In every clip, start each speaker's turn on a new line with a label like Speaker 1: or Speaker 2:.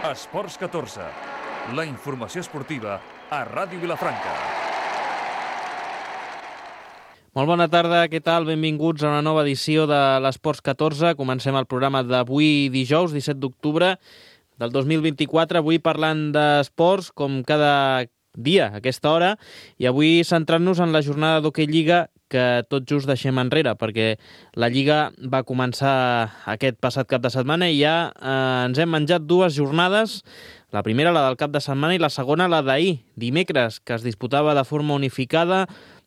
Speaker 1: Esports 14, la informació esportiva a Ràdio Vilafranca.
Speaker 2: Molt bona tarda, què tal? Benvinguts a una nova edició de l'Esports 14. Comencem el programa d'avui dijous, 17 d'octubre del 2024. Avui parlant d'esports, com cada dia a aquesta hora, i avui centrant-nos en la jornada d'Hoquei Lliga que tot just deixem enrere, perquè la Lliga va començar aquest passat cap de setmana i ja ens hem menjat dues jornades. La primera, la del cap de setmana, i la segona, la d'ahir, dimecres, que es disputava de forma unificada.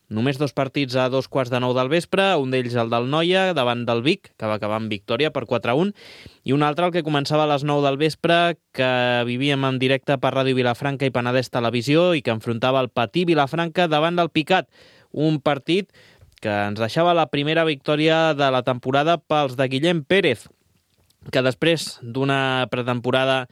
Speaker 2: Només dos partits a 8:45 del vespre, un d'ells el del Noia davant del Vic, que va acabar amb victòria per 4-1, i un altre el que començava a les 9 del vespre, que vivíem en directe per Ràdio Vilafranca i Penedès Televisió i que enfrontava el Patí Vilafranca davant del Picat. Un partit que ens deixava la primera victòria de la temporada pels de Guillem Pérez, que després d'una pretemporada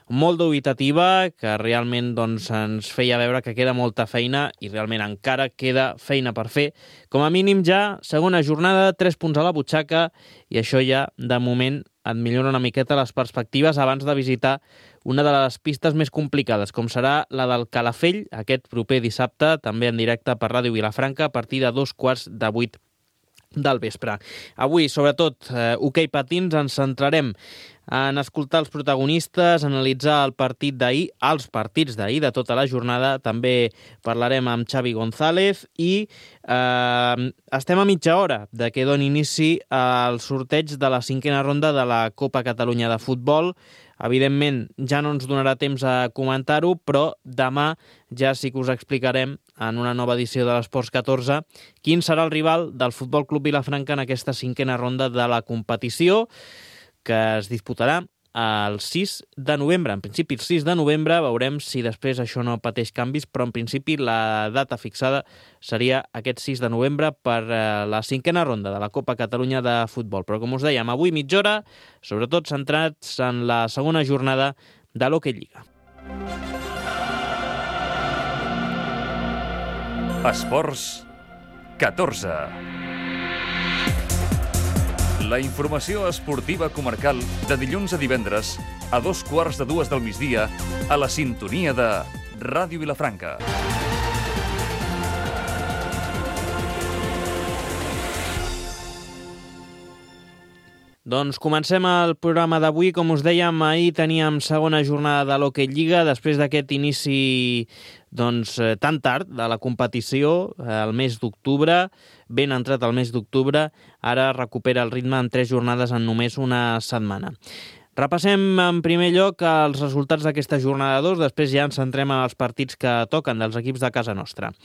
Speaker 2: molt dubitativa, que realment ens feia veure que queda molta feina i realment encara queda feina per fer. Com a mínim ja, segona jornada, 3 punts a la butxaca, i això ja, de moment, et millora una miqueta les perspectives abans de visitar una de les pistes més complicades, com serà la del Calafell, aquest proper dissabte, també en directe per Ràdio Vilafranca, a partir de 7:15 del vespre. Avui, sobretot, hoquei patins, ens centrarem en escoltar els protagonistes, analitzar el partit d'ahir, els partits d'ahir de tota la jornada. També parlarem amb Xavi González i estem a mitja hora de que doni inici al sorteig de la 5a ronda de la Copa Catalunya de Futbol. Evidentment, ja no ens donarà temps a comentar-ho, però demà ja sí que us explicarem en una nova edició de l'Esports 14 quin serà el rival del Futbol Club Vilafranca en aquesta 5a ronda de la competició, que es disputarà el 6 de novembre. En principi, el 6 de novembre, veurem si després això no pateix canvis, però en principi la data fixada seria aquest 6 de novembre per la 5a ronda de la Copa Catalunya de Futbol. Però, com us dèiem, avui mitja hora, sobretot centrats en la segona jornada de l'Hoquei Lliga.
Speaker 1: Esports 14. La informació esportiva comarcal de dilluns a divendres a 2:15 del migdia a la sintonia de Ràdio Vilafranca.
Speaker 2: Doncs comencem el programa d'avui. Com us dèiem, ahir teníem segona jornada de l'Hoquei Lliga, després d'aquest inici tan tard de la competició, el mes d'octubre, ben entrat el mes d'octubre, ara recupera el ritme en 3 jornades en només una setmana. Repassem en primer lloc els resultats d'aquesta jornada 2, després ja ens centrem en els partits que toquen dels equips de casa nostra.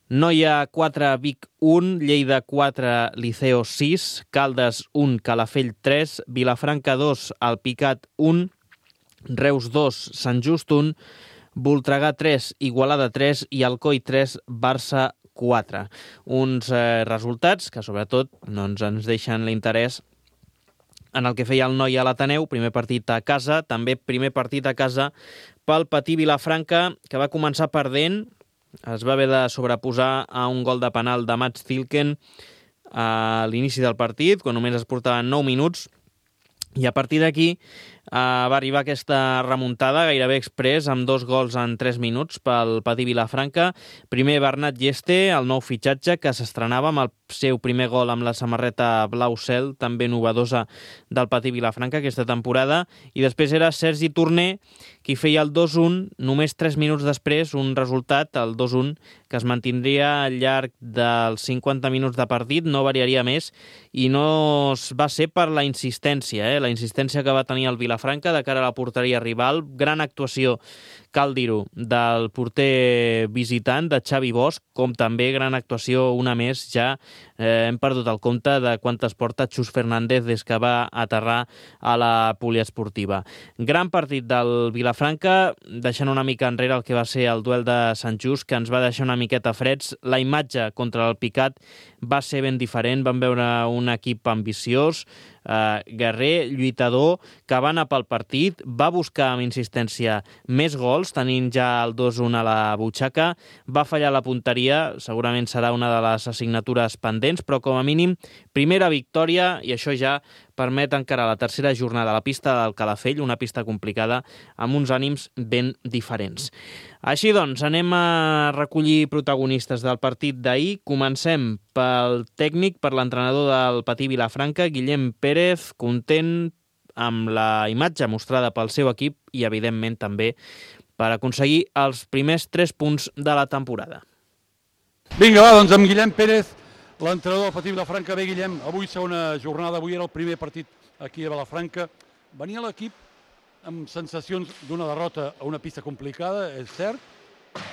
Speaker 2: Noia 4, Vic 1, Lleida 4, Liceo 6, Caldes 1, Calafell 3, Vilafranca 2, Alpicat 1, Reus 2, Sant Just 1, Voltregà 3, Igualada 3 i Alcoi 3, Barça 4. Uns resultats que sobretot ens deixen l'interès en el que feia el Noia a l'Ateneu, primer partit a casa, també primer partit a casa pel Patí Vilafranca, que va començar perdent. Es va haver de sobreposar a un gol de penal de Mats Zilken a l'inici del partit, quan només es portaven 9 minuts, i a partir d'aquí va arribar aquesta remuntada gairebé express amb 2 gols en 3 minuts pel Patí Vilafranca. Primer Bernat Lleste, el nou fitxatge, que s'estrenava amb el seu primer gol amb la samarreta blau cel, també novedosa del Patí Vilafranca aquesta temporada, i després era Sergi Torner qui feia el 2-1 només 3 minuts després, un resultat, el 2-1, que es mantindria al llarg dels 50 minuts de partit, no variaria més, i no va ser per la insistència, la insistència que va tenir el Vilafranca de cara a la porteria rival. Gran actuació, cal dir-ho, del porter visitant, de Xavi Bosch, com també gran actuació, una més, ja hem perdut el compte de quantes porta Xus Fernández des que va aterrar a la poliesportiva. Gran partit del Vilafranca, deixant una mica enrere el que va ser el duel de Sant Just, que ens va deixar una miqueta freds. La imatge contra el Picat va ser ben diferent, vam veure un equip ambiciós, guerrer, lluitador, que va anar pel partit, va buscar amb insistència més gols, tenint ja el 2-1 a la butxaca, va fallar la punteria, segurament serà una de les assignatures pendents, però com a mínim, primera victòria, i això ja permet encarar la tercera jornada a la pista del Calafell, una pista complicada, amb uns ànims ben diferents. Així doncs, anem a recollir protagonistes del partit d'ahir. Comencem pel tècnic, per l'entrenador del Patí Vilafranca, Guillem Pérez, content amb la imatge mostrada pel seu equip i, evidentment, també per aconseguir els primers 3 punts de la temporada.
Speaker 3: Vinga, va, doncs amb Guillem Pérez, l'entrenador del Patí Vilafranca. Bé, Guillem, avui segona jornada, avui era el primer partit aquí a Vilafranca. Venia l'equip amb sensacions d'una derrota a una pista complicada, és cert,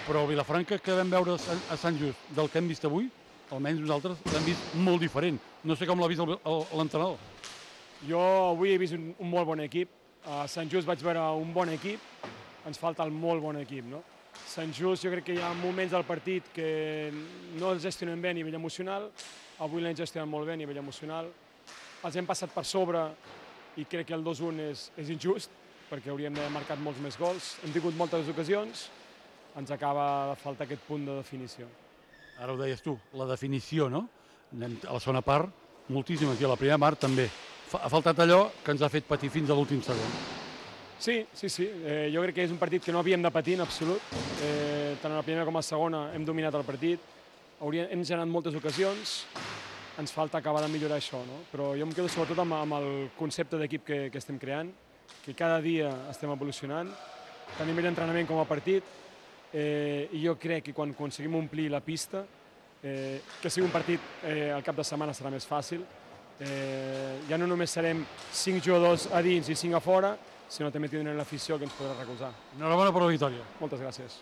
Speaker 3: però Vilafranca que vam veure a Sant Just del que hem vist avui, almenys nosaltres l'hem vist molt diferent. No sé com l'ha vist l'entrenador.
Speaker 4: Jo avui he vist un molt bon equip. A Sant Just vaig veure un bon equip, ens falta el molt bon equip, no? Sant Just jo crec que hi ha moments del partit que no els gestionem bé a nivell emocional, avui l'hem gestionat molt bé a nivell emocional, els hem passat per sobre i crec que el 2-1 és injust, perquè hauríem d'haver marcat molts més gols. Hem tingut moltes ocasions, ens acaba de faltar aquest punt de definició.
Speaker 3: Ara ho deies tu, la definició, no? Anem a la segona part, moltíssimes, i a la primera part també. Ha faltat allò que ens ha fet patir fins a l'últim segon.
Speaker 4: Sí. Jo crec que és un partit que no havíem de patir en absolut. Tant a la primera com a la segona hem dominat el partit, hem generat moltes ocasions, ens falta acabar de millorar això, no? Però jo em quedo sobretot amb el concepte d'equip que estem creant, que cada dia estem evolucionant, tant a nivell d'entrenament com a partit, i jo crec que quan aconseguim omplir la pista, que sigui un partit al cap de setmana serà més fàcil. Ja no només serem 5 jugadors a dins i 5 a fora, sinó també tindrem l'afició que ens podrà recolzar.
Speaker 3: Enhorabona per la victòria.
Speaker 4: Moltes gràcies.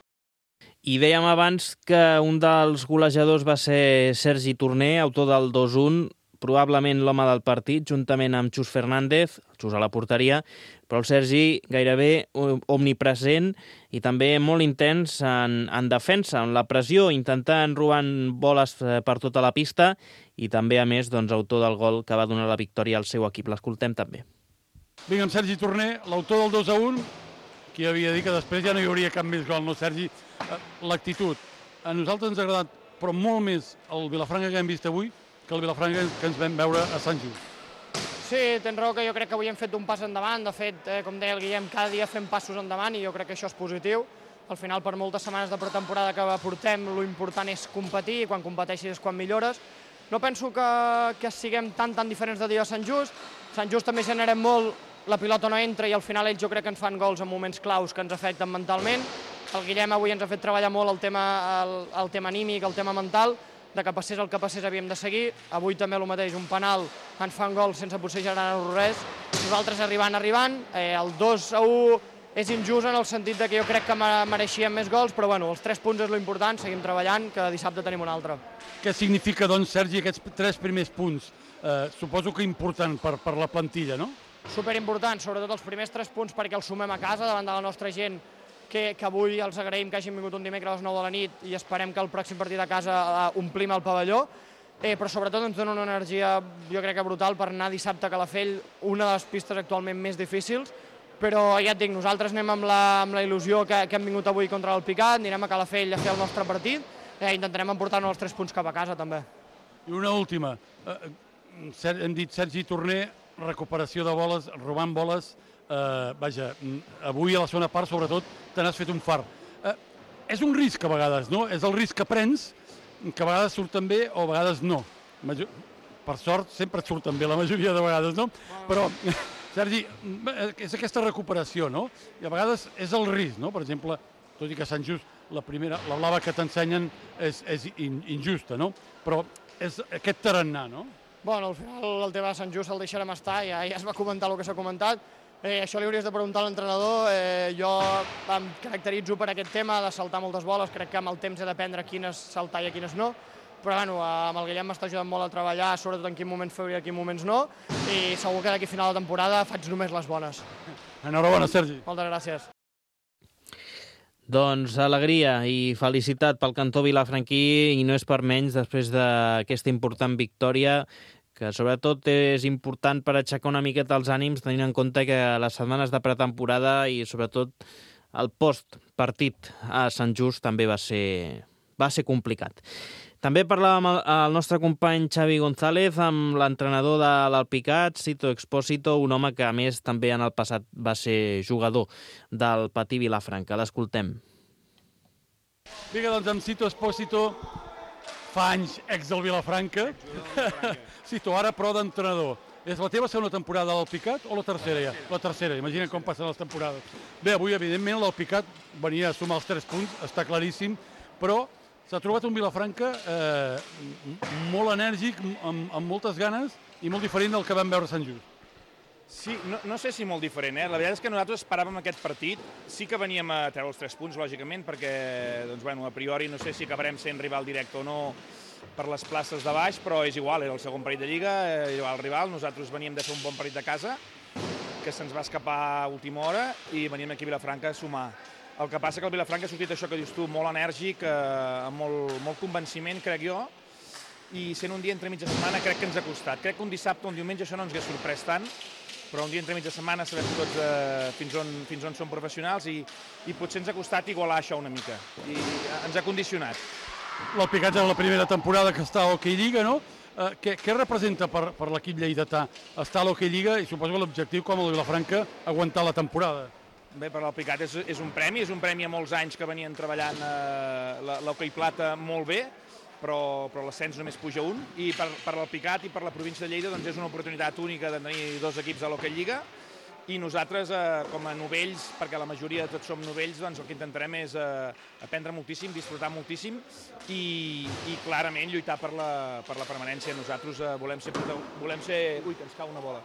Speaker 2: I dèiem abans que un dels golejadors va ser Sergi Torner, autor del 2-1, probablement l'home del partit, juntament amb Xus Fernández, Xus a la porteria, però el Sergi gairebé omnipresent i també molt intens en defensa, en la pressió, intentant robant boles per tota la pista i també, a més, autor del gol que va donar la victòria al seu equip. L'escoltem també.
Speaker 3: Vinga, amb Sergi Torner, l'autor del 2-1, qui havia dit que després ja no hi hauria cap més gol, no, Sergi? L'actitud. A nosaltres ens ha agradat, però molt més el Vilafranca que hem vist avui que el Vilafranca que ens vam veure a Sant Just.
Speaker 5: Sí, tens raó que jo crec que avui hem fet un pas endavant. De fet, com deia el Guillem, cada dia fem passos endavant i jo crec que això és positiu. Al final, per moltes setmanes de pretemporada que portem, l'important és competir i quan competeixis és quan millores. No penso que siguem tan diferents de dia a Sant Just. Sant Just també generem molt, la pilota no entra i al final ells jo crec que ens fan gols en moments claus que ens afecten mentalment. El Guillem avui ens ha fet treballar molt el tema anímic, el tema mental, de que passés el que passés havíem de seguir. Avui també el mateix, un penal, ens fan gol sense potser generar res. Nosaltres arribant, el 2-1 és injust en el sentit que jo crec que mereixíem més gols, però bueno, els 3 punts és l'important, seguim treballant, que dissabte tenim un altre.
Speaker 3: Què significa, doncs, Sergi, aquests 3 primers punts? Suposo que important per la plantilla, no?
Speaker 5: Superimportant, sobretot els primers 3 punts perquè els sumem a casa davant de la nostra gent, que avui els agraïm que hagin vingut un dimecres a les 9 de la nit i esperem que el pròxim partit a casa omplim el pavelló, però sobretot ens dona una energia, jo crec que brutal, per anar dissabte a Calafell, una de les pistes actualment més difícils, però ja et dic, nosaltres anem amb la il·lusió que hem vingut avui contra el Picat, anirem a Calafell a fer el nostre partit i intentarem emportar-nos els 3 punts cap a casa també.
Speaker 3: I una última, hem dit Sergi Torner, recuperació de boles, robant boles, vaja, avui a la segona part sobretot te n'has fet un far. És un risc a vegades, no? És el risc que prens, que a vegades surten bé o a vegades no. Per sort sempre et surten bé la majoria de vegades, no? Però, Sergi, és aquesta recuperació, no? I a vegades és el risc, no? Per exemple, tot i que Sant Just, la blava que t'ensenyen és injusta, no? Però és aquest tarannà, no?
Speaker 5: Bueno, al final el tema de Sant Just el deixarem estar, ja es va comentar el que s'ha comentat. Això li hauries de preguntar a l'entrenador. Jo em caracteritzo per aquest tema de saltar moltes boles, crec que amb el temps he d'aprendre quines saltar i a quines no, però bueno, amb el Guillem m'està ajudant molt a treballar, sobretot en quin moments fer i en quin moments no, i segur que d'aquí a final de temporada faig només les bones.
Speaker 3: Enhorabona, Sergi.
Speaker 5: Moltes gràcies.
Speaker 2: Doncs alegria i felicitat pel cantó vilafranquí, i no és per menys després d'aquesta important victòria que sobretot és important per aixecar una miqueta els ànims, tenint en compte que les setmanes de pretemporada i sobretot el postpartit a Sant Just també va ser complicat. També parlàvem amb el nostre company Xavi González amb l'entrenador de l'Alpicat, Sito Expósito, un home que a més també en el passat va ser jugador del Patí Vilafranca. L'escoltem.
Speaker 3: Vinga, doncs amb Sito Expósito, fa anys ex del Vilafranca. Sito, ara però d'entrenador. És la teva segona temporada a l'Alpicat o la tercera ja? La tercera, imagina com passen les temporades. Bé, avui evidentment l'Alpicat venia a sumar els 3 punts, està claríssim, però s'ha trobat un Vilafranca molt enèrgic, amb moltes ganes i molt diferent del que vam veure a Sant Just.
Speaker 6: Sí, no sé si molt diferent, eh? La veritat és que nosaltres esperàvem aquest partit. Sí que veníem a treure els 3 punts, lògicament, perquè, doncs, bueno, a priori no sé si acabarem sent rival directe o no per les places de baix, però és igual, era el segon partit de Lliga, era el rival. Nosaltres veníem de fer un bon partit de casa, que se'ns va escapar a última hora, i veníem aquí a Vilafranca a sumar. El que passa que el Vilafranca ha sortit això que dius tu, molt enèrgic, amb molt convenciment, crec jo, i sent un dia entre mitja setmana crec que ens ha costat. Crec que un dissabte o un diumenge això no ens hauria sorprès tant, però un dia entre mitja setmana sabem tots fins on som professionals i potser ens ha costat igualar això una mica, i ens ha condicionat.
Speaker 3: L'Alpicat és la primera temporada que està a l'Hockey Lliga, no? Què representa per l'equip lleidatà estar a l'Hockey Lliga i suposo que l'objectiu, com el Vilafranca, aguantar la temporada?
Speaker 6: Bé, per l'Alpicat és un premi a molts anys que venien treballant l'Hockey Plata molt bé, però l'ascens només puja un, i per l'Alpicat i per la província de Lleida doncs és una oportunitat única de tenir 2 equips a l'Hockey Lliga, i nosaltres, com a novells, perquè la majoria de tots som novells, doncs el que intentarem és aprendre moltíssim, disfrutar moltíssim i clarament lluitar per la permanència. Nosaltres volem ser... Ui, que ens cau una bola.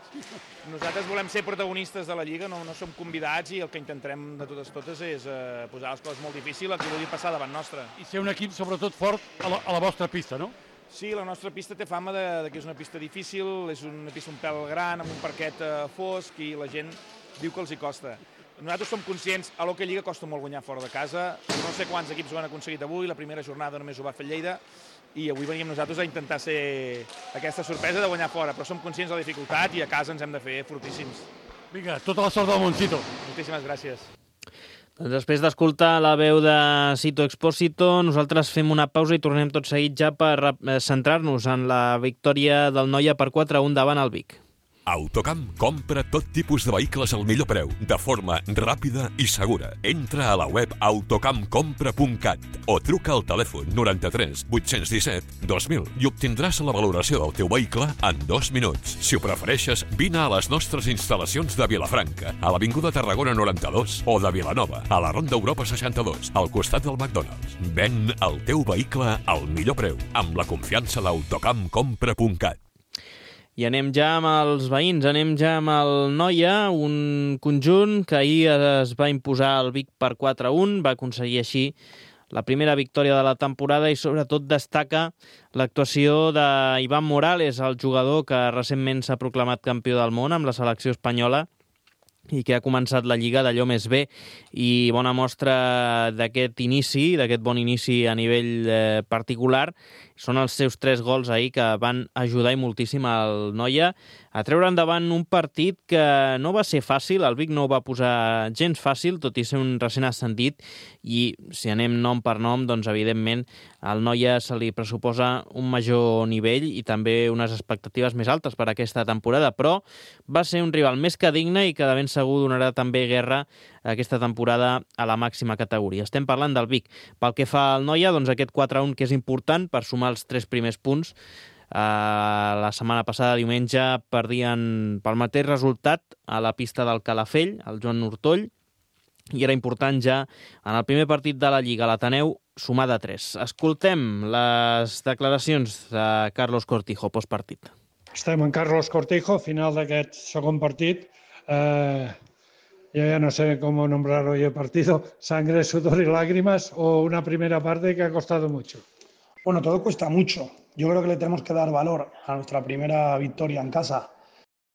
Speaker 6: Nosaltres volem ser protagonistes de la Lliga, no som convidats, i el que intentarem de totes és posar les coses molt difícils, el que vulgui passar davant nostre.
Speaker 3: I ser un equip sobretot fort a la vostra pista, no?
Speaker 6: Sí, la nostra pista té fama que és una pista difícil, és una pista un pèl gran, amb un parquet fosc, i la gent diu que els hi costa. Nosaltres som conscients, a l'Hockey Lliga costa molt guanyar fora de casa, no sé quants equips ho han aconseguit avui, la primera jornada només ho va fer Lleida, i avui veníem nosaltres a intentar ser aquesta sorpresa de guanyar fora, però som conscients de la dificultat i a casa ens hem de fer fortíssims.
Speaker 3: Vinga, tota la sort del món, Sito.
Speaker 6: Moltíssimes gràcies.
Speaker 2: Doncs després d'escoltar la veu de Sito Expósito, nosaltres fem una pausa i tornem tot seguit ja per centrar-nos en la victòria del Noia per 4-1 davant el Vic.
Speaker 7: Autocamp compra tot tipus de vehicles al millor preu, de forma ràpida i segura. Entra a la web autocampcompra.cat o truca al telèfon 93 817 2000 i obtindràs la valoració del teu vehicle en 2 minuts. Si ho prefereixes, vine a les nostres instal·lacions de Vilafranca, a l'Avinguda Tarragona 92, o de Vilanova, a la Ronda Europa 62, al costat del McDonald's. Ven el teu vehicle al millor preu, amb la confiança d'autocampcompra.cat.
Speaker 2: I anem ja amb els veïns, anem ja amb el Noia, un conjunt que ahir es va imposar al Vic per 4-1, va aconseguir així la primera victòria de la temporada i sobretot destaca l'actuació d'Ivan Morales, el jugador que recentment s'ha proclamat campió del món amb la selecció espanyola i que ha començat la Lliga d'allò més bé, i bona mostra d'aquest inici, d'aquest bon inici a nivell particular, són els seus 3 gols ahir que van ajudar i moltíssim al Noia a treure endavant un partit que no va ser fàcil, el Vic no ho va posar gens fàcil, tot i ser un recent ascendit, i si anem nom per nom, doncs evidentment al Noia se li pressuposa un major nivell i també unes expectatives més altes per aquesta temporada, però va ser un rival més que digne i que de ben segur donarà també guerra aquesta temporada a la màxima categoria. Estem parlant del Vic. Pel que fa al Noia, doncs aquest 4-1 que és important per sumar els 3 primers punts. La setmana passada, diumenge, perdien pel mateix resultat a la pista del Calafell, el Joan Hortoll, i era important ja en el primer partit de la Lliga, l'Ateneu, sumar de 3. Escoltem les declaracions de Carlos Cortijo postpartit.
Speaker 8: Estem en Carlos Cortijo, final d'aquest segon partit. Yo ya no sé cómo nombrar hoy el partido, sangre, sudor y lágrimas, o una primera parte que ha costado mucho.
Speaker 9: Bueno, todo cuesta mucho. Yo creo que le tenemos que dar valor a nuestra primera victoria en casa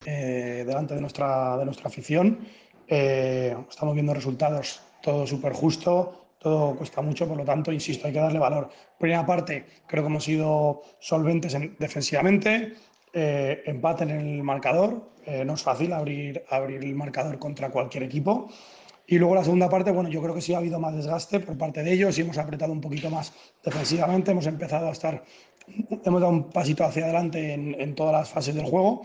Speaker 9: delante de nuestra afición. Estamos viendo resultados, todo súper justo, todo cuesta mucho, por lo tanto, insisto, hay que darle valor. Primera parte, creo que hemos sido solventes defensivamente, empate en el marcador. No es fácil abrir el marcador contra cualquier equipo. Y luego la segunda parte, bueno, yo creo que sí ha habido más desgaste por parte de ellos y hemos apretado un poquito más defensivamente, hemos dado un pasito hacia adelante en todas las fases del juego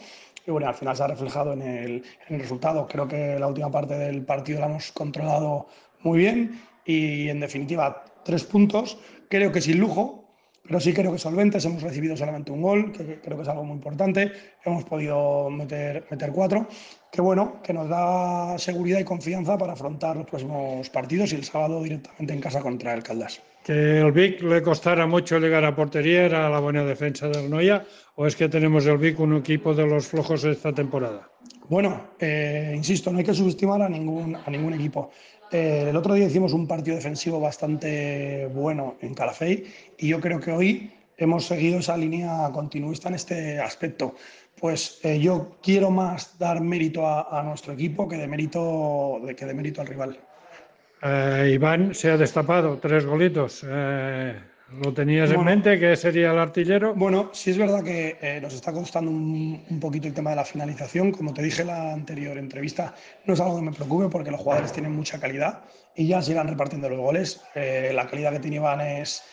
Speaker 9: y bueno, al final se ha reflejado en el resultado. Creo que la última parte del partido la hemos controlado muy bien y en definitiva 3 puntos, creo que sin lujo, pero sí creo que solventes. Hemos recibido solamente un gol, que creo que es algo muy importante. Hemos podido meter 4, que bueno, que nos da seguridad y confianza para afrontar los próximos partidos y el sábado directamente en casa contra el Caldas.
Speaker 8: ¿Que el Vic le costara mucho llegar a portería era la buena defensa del Noia o es que tenemos el Vic un equipo de los flojos esta temporada?
Speaker 9: Bueno, insisto, no hay que subestimar a ningún equipo. El otro día hicimos un partido defensivo bastante bueno en Calafell y yo creo que hoy hemos seguido esa línea continuista en este aspecto. Pues yo quiero más dar mérito a nuestro equipo que de mérito al rival.
Speaker 8: Iván se ha destapado 3 golitos. ¿Lo tenías en mente que sería el artillero?
Speaker 9: Bueno, sí es verdad que nos está costando un poquito el tema de la finalización. Como te dije en la anterior entrevista, no es algo que me preocupe porque los jugadores tienen mucha calidad y ya se irán repartiendo los goles. La calidad que tiene Iván es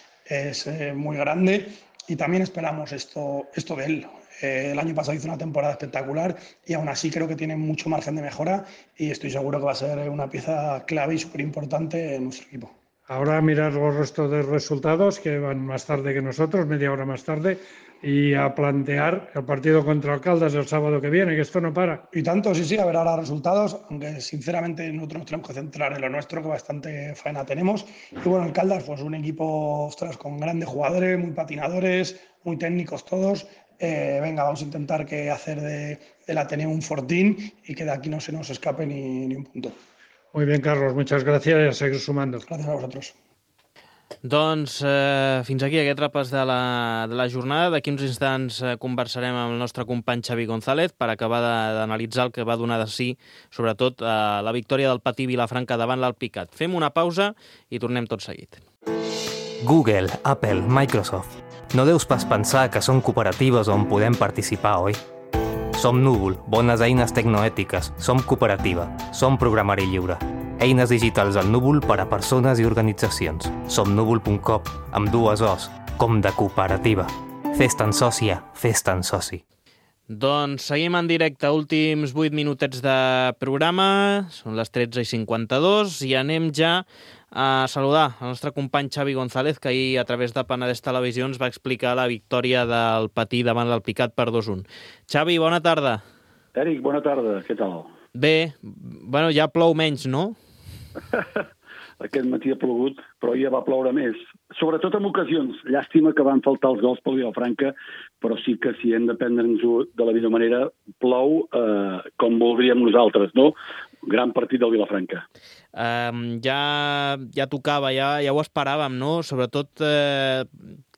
Speaker 9: muy grande y también esperamos esto de él. El año pasado hizo una temporada espectacular y aún así creo que tiene mucho margen de mejora y estoy seguro que va a ser una pieza clave y súper importante en nuestro equipo.
Speaker 8: Ahora mirar los restos de resultados que van más tarde que nosotros, media hora más tarde, y a plantear el partido contra el Caldas el sábado que viene, que esto no para.
Speaker 9: Y tanto, sí, a ver ahora resultados, aunque sinceramente nosotros nos tenemos que centrar en lo nuestro, que bastante faena tenemos. Y bueno, el Caldas, pues un equipo, ostras, con grandes jugadores, muy patinadores, muy técnicos todos. Venga, vamos a intentar hacer del Ateneo un fortín y que de aquí no se nos escape ni un punto.
Speaker 8: Muy bien, Carlos, muchas gracias i a seguir sumando.
Speaker 9: Gràcies a vosaltres.
Speaker 2: Doncs fins aquí aquest repàs de la jornada. D'aquí uns instants conversarem amb el nostre company Xavi González per acabar d'analitzar el que va donar de si, sobretot la victòria del Patí Vilafranca davant l'Alpicat. Fem una pausa i tornem tot seguit.
Speaker 10: Google, Apple, Microsoft. No deus pas pensar que són cooperatives on podem participar, oi? Som Núvol, bones eines tecnoètiques. Som cooperativa. Som programari lliure. Eines digitals al Núvol per a persones i organitzacions. Som núvol.com, amb 2 O's, com de cooperativa. Fes-te'n sòcia, fes-te'n soci.
Speaker 2: Doncs seguim en directe, últims 8 minutets de programa, són les 13:52 i anem ja a saludar el nostre company Xavi González, que ahir a través de Penedès Televisió ens va explicar la victòria del Patí davant l'Alpicat per 2-1. Xavi, bona tarda.
Speaker 11: Eric, bona tarda, què tal?
Speaker 2: Bé, bueno, ja plou menys, no?
Speaker 11: Aquest matí ha plogut, però ja va ploure més. Sobretot en ocasions. Llàstima que van faltar els gols pel Vilafranca, però sí que si hem de prendre'ns-ho de la millor manera, plou com voldríem nosaltres, no? Gran partit del Vilafranca.
Speaker 2: Ja tocava, ja ho esperàvem, no? Sobretot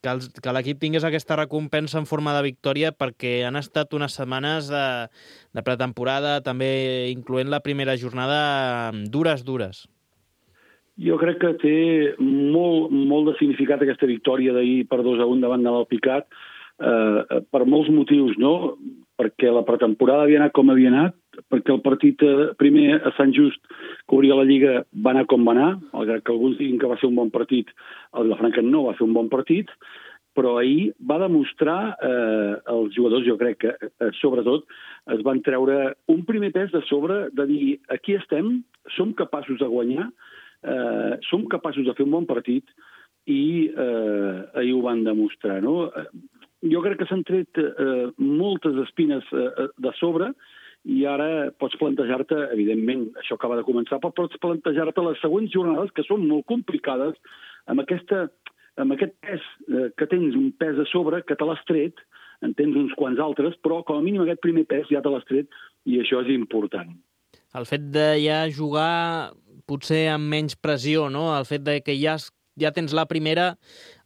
Speaker 2: que l'equip tingués aquesta recompensa en forma de victòria perquè han estat unes setmanes de pretemporada, també incloent la primera jornada, dures.
Speaker 11: Jo crec que té molt de significat aquesta victòria d'ahir per 2-1 davant de l'Alpicat, per molts motius, no? Perquè la pretemporada havia anat com havia anat, perquè el partit primer a Sant Just, que obria la Lliga, va anar com va anar, malgrat que alguns diguin que va ser un bon partit, el Vilafranca no va fer un bon partit, però ahir va demostrar, els jugadors, jo crec que sobretot, es van treure un primer pes de sobre, de dir, aquí estem, som capaços de guanyar, som capaços de fer un bon partit i ahir ho van demostrar, no? Jo crec que s'han tret moltes espines de sobre i ara pots plantejar-te, evidentment, això acaba de començar, però pots plantejar-te les següents jornades, que són molt complicades, amb aquest pes que tens, un pes a sobre, que te l'has tret, en tens uns quants altres, però com a mínim aquest primer pes ja te l'has tret i això és important.
Speaker 2: El fet de ja jugar potser amb menys pressió, no? El fet de que ja tens la primera,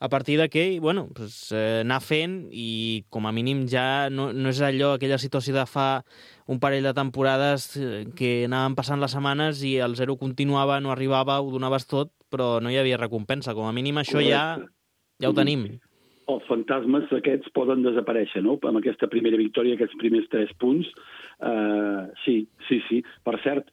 Speaker 2: a partir d'aquí, bueno, anar fent i com a mínim ja no és aquella situació de fa un parell de temporades que anaven passant les setmanes i el 0 continuava, no arribava, ho donaves tot, però no hi havia recompensa. Com a mínim això ja ho tenim.
Speaker 11: els fantasmes aquests poden desaparèixer, no? Amb aquesta primera victòria, aquests primers 3 punts. Sí. Per cert,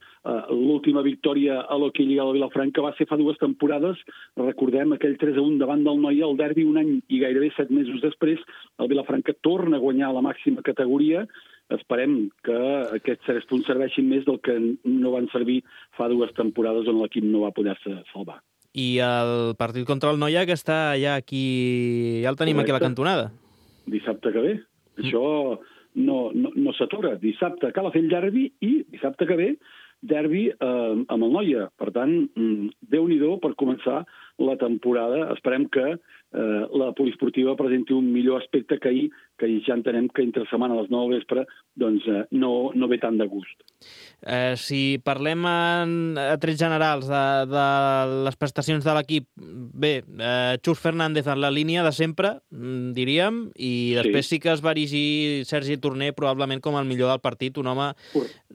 Speaker 11: l'última victòria a l'Hockey Lliga de Vilafranca va ser fa 2 temporades. Recordem aquell 3-1 davant del Noia, el derbi, un any i gairebé 7 mesos després. El Vilafranca torna a guanyar la màxima categoria. Esperem que aquests 3 punts serveixin més del que no van servir fa 2 temporades on l'equip no va poder-se salvar.
Speaker 2: I el partit contra el Noia, que està ja aquí... Ja el tenim aquí a la cantonada.
Speaker 11: Dissabte que ve. Això no s'atura. Dissabte cal fer el derbi i dissabte que ve derbi amb el Noia. Per tant, Déu-n'hi-do per començar la temporada. Esperem que la poliesportiva presenti un millor aspecte que ahir, que ja entenem que entre setmana a les 9 del vespre doncs, no ve tant de gust.
Speaker 2: Si parlem a trets generals de les prestacions de l'equip, bé, Xus Fernández en la línia de sempre, diríem, i després sí que es va erigir Sergi Torner probablement com el millor del partit, un home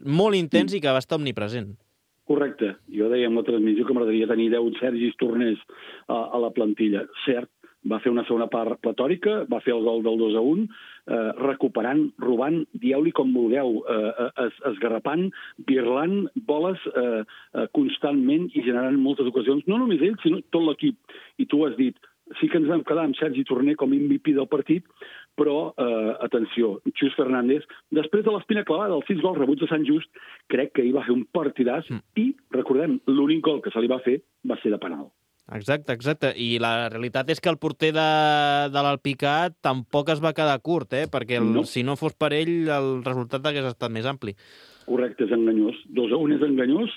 Speaker 2: molt intens i que va estar omnipresent.
Speaker 11: Correcte. Jo deia en la transmissió que m'agradaria tenir 10 Sergis Torners a la plantilla. Cert, va fer una segona part platòrica, va fer el gol del 2-1, recuperant, robant, dieu-li com vulgueu, esgarrapant, birlant boles constantment i generant moltes ocasions, no només ell, sinó tot l'equip. I tu has dit, sí que ens vam quedar amb Sergi Torner com MVP del partit, però, atenció, Xus Fernández, després de l'espina clavada, els 6 gols rebuts de Sant Just, crec que ell va fer un partidàs i, recordem, l'únic gol que se li va fer va ser de penal.
Speaker 2: Exacte. I la realitat és que el porter de l'Alpicat tampoc es va quedar curt, perquè si no fos per ell el resultat hagués estat més ampli.
Speaker 11: Correcte, és enganyós. 2-1 és enganyós.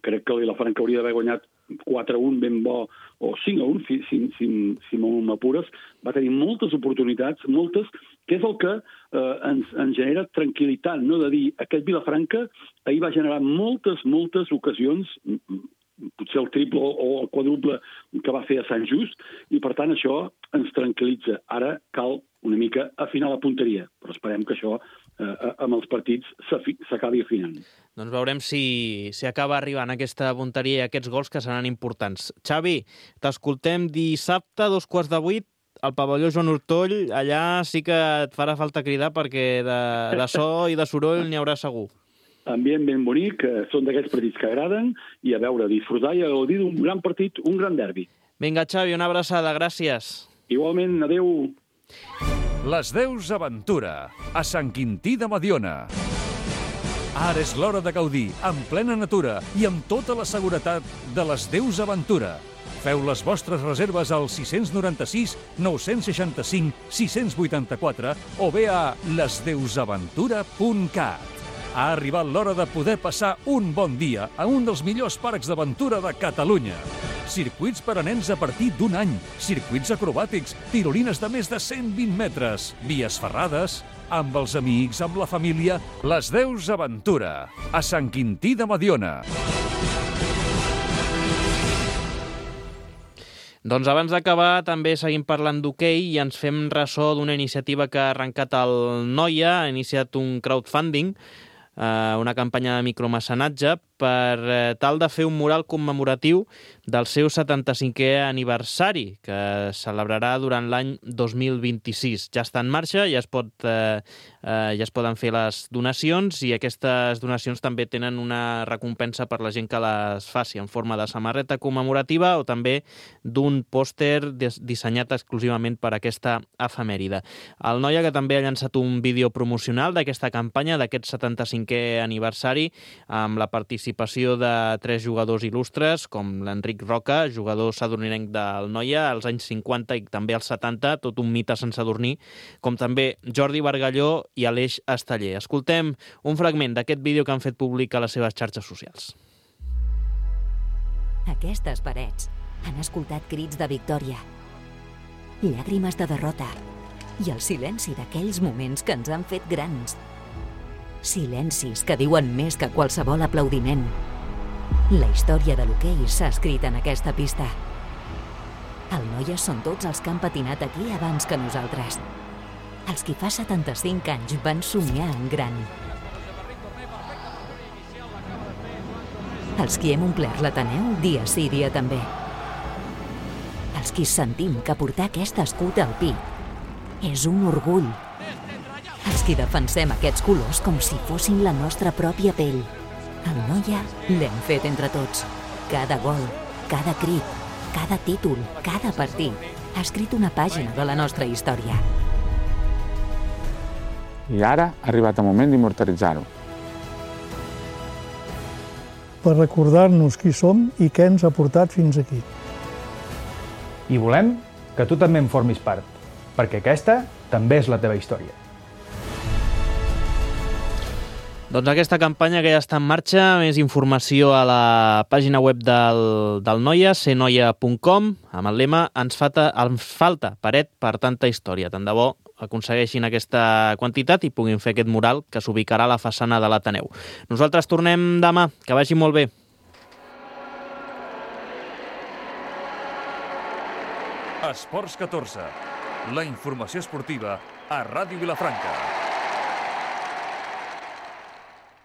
Speaker 11: Crec que el Vilafranca hauria d'haver guanyat 4-1 ben bo, o 5-1, si m'apures. Va tenir moltes oportunitats, moltes, que és el que ens genera tranquil·litat, no? De dir, aquest Vilafranca ahir va generar moltes ocasions, potser el triple o el quadruple que va fer a Sant Just, i per tant això ens tranquil·litza. Ara cal una mica afinar la punteria, però esperem que això amb els partits s'acabi afinant.
Speaker 2: Doncs veurem si acaba arribant aquesta punteria i aquests gols que seran importants. Xavi, t'escoltem dissabte, 7:15, al pavelló Joan Ortoll. Allà sí que et farà falta cridar perquè de so i de soroll n'hi haurà segur.
Speaker 11: Ambient ben bonic, són d'aquests partits que agraden, i a veure, disfrutar i gaudir d'un gran partit, un gran derbi.
Speaker 2: Vinga, Xavi, una abraçada, gràcies.
Speaker 11: Igualment, adeu.
Speaker 1: Les Deus Aventura, a Sant Quintí de Mediona. Ara és l'hora de gaudir, en plena natura i amb tota la seguretat de les Deus Aventura. Feu les vostres reserves al 696 965 684 o bé a lesdeusaventura.cat. Ha arribat l'hora de poder passar un bon dia a un dels millors parcs d'aventura de Catalunya. Circuits per a nens a partir d'1 any, circuits acrobàtics, tirolines de més de 120 metres, vies ferrades, amb els amics, amb la família. Les Deus Aventura, a Sant Quintí de Mediona.
Speaker 2: Doncs abans d'acabar també seguim parlant d'hoquei i ens fem ressò d'una iniciativa que ha arrencat el Noia, ha iniciat un crowdfunding, una campanya de micromecenatge per tal de fer un mural commemoratiu del seu 75è aniversari, que es celebrarà durant l'any 2026. Ja està en marxa, ja es poden fer les donacions, i aquestes donacions també tenen una recompensa per la gent que les faci, en forma de samarreta commemorativa o també d'un pòster dissenyat exclusivament per aquesta efemèride. El Noia, que també ha llançat un vídeo promocional d'aquesta campanya, d'aquest 75è aniversari, amb la participació de 3 jugadors il·lustres, com l'Enric Roca, jugador sadurninenc del Noia als anys 50 i també als 70, tot un mite sense adornir, com també Jordi Bargalló i Aleix Esteller. Escoltem un fragment d'aquest vídeo que han fet públic a les seves xarxes socials.
Speaker 12: Aquestes parets han escoltat crits de victòria, llàgrimes de derrota i el silenci d'aquells moments que ens han fet grans. Silencis que diuen més que qualsevol aplaudiment. La història de l'hoquei s'ha escrit en aquesta pista. El Noia són tots els que han patinat aquí abans que nosaltres. Els qui fa 75 anys van somiar en gran. Els qui hem omplert l'Ateneu dia sí dia també. Els qui sentim que portar aquest escut al pi és un orgull. Els qui defensem aquests colors com si fossin la nostra pròpia pell. El Noia l'hem fet entre tots. Cada gol, cada crit, cada títol, cada partit ha escrit una pàgina de la nostra història.
Speaker 13: I ara ha arribat el moment d'immortalitzar-ho.
Speaker 14: Per recordar-nos qui som i què ens ha portat fins aquí.
Speaker 15: I volem que tu també en formis part, perquè aquesta també és la teva història.
Speaker 2: Doncs aquesta campanya que ja està en marxa, més informació a la pàgina web del Noia, sernoia.com, amb el lema ens falta paret per tanta història. Tant de bo aconsegueixin aquesta quantitat i puguin fer aquest mural que s'ubicarà a la façana de l'Ateneu. Nosaltres tornem demà, que vagi molt bé.
Speaker 1: Esports 14, la informació esportiva a Ràdio Vilafranca.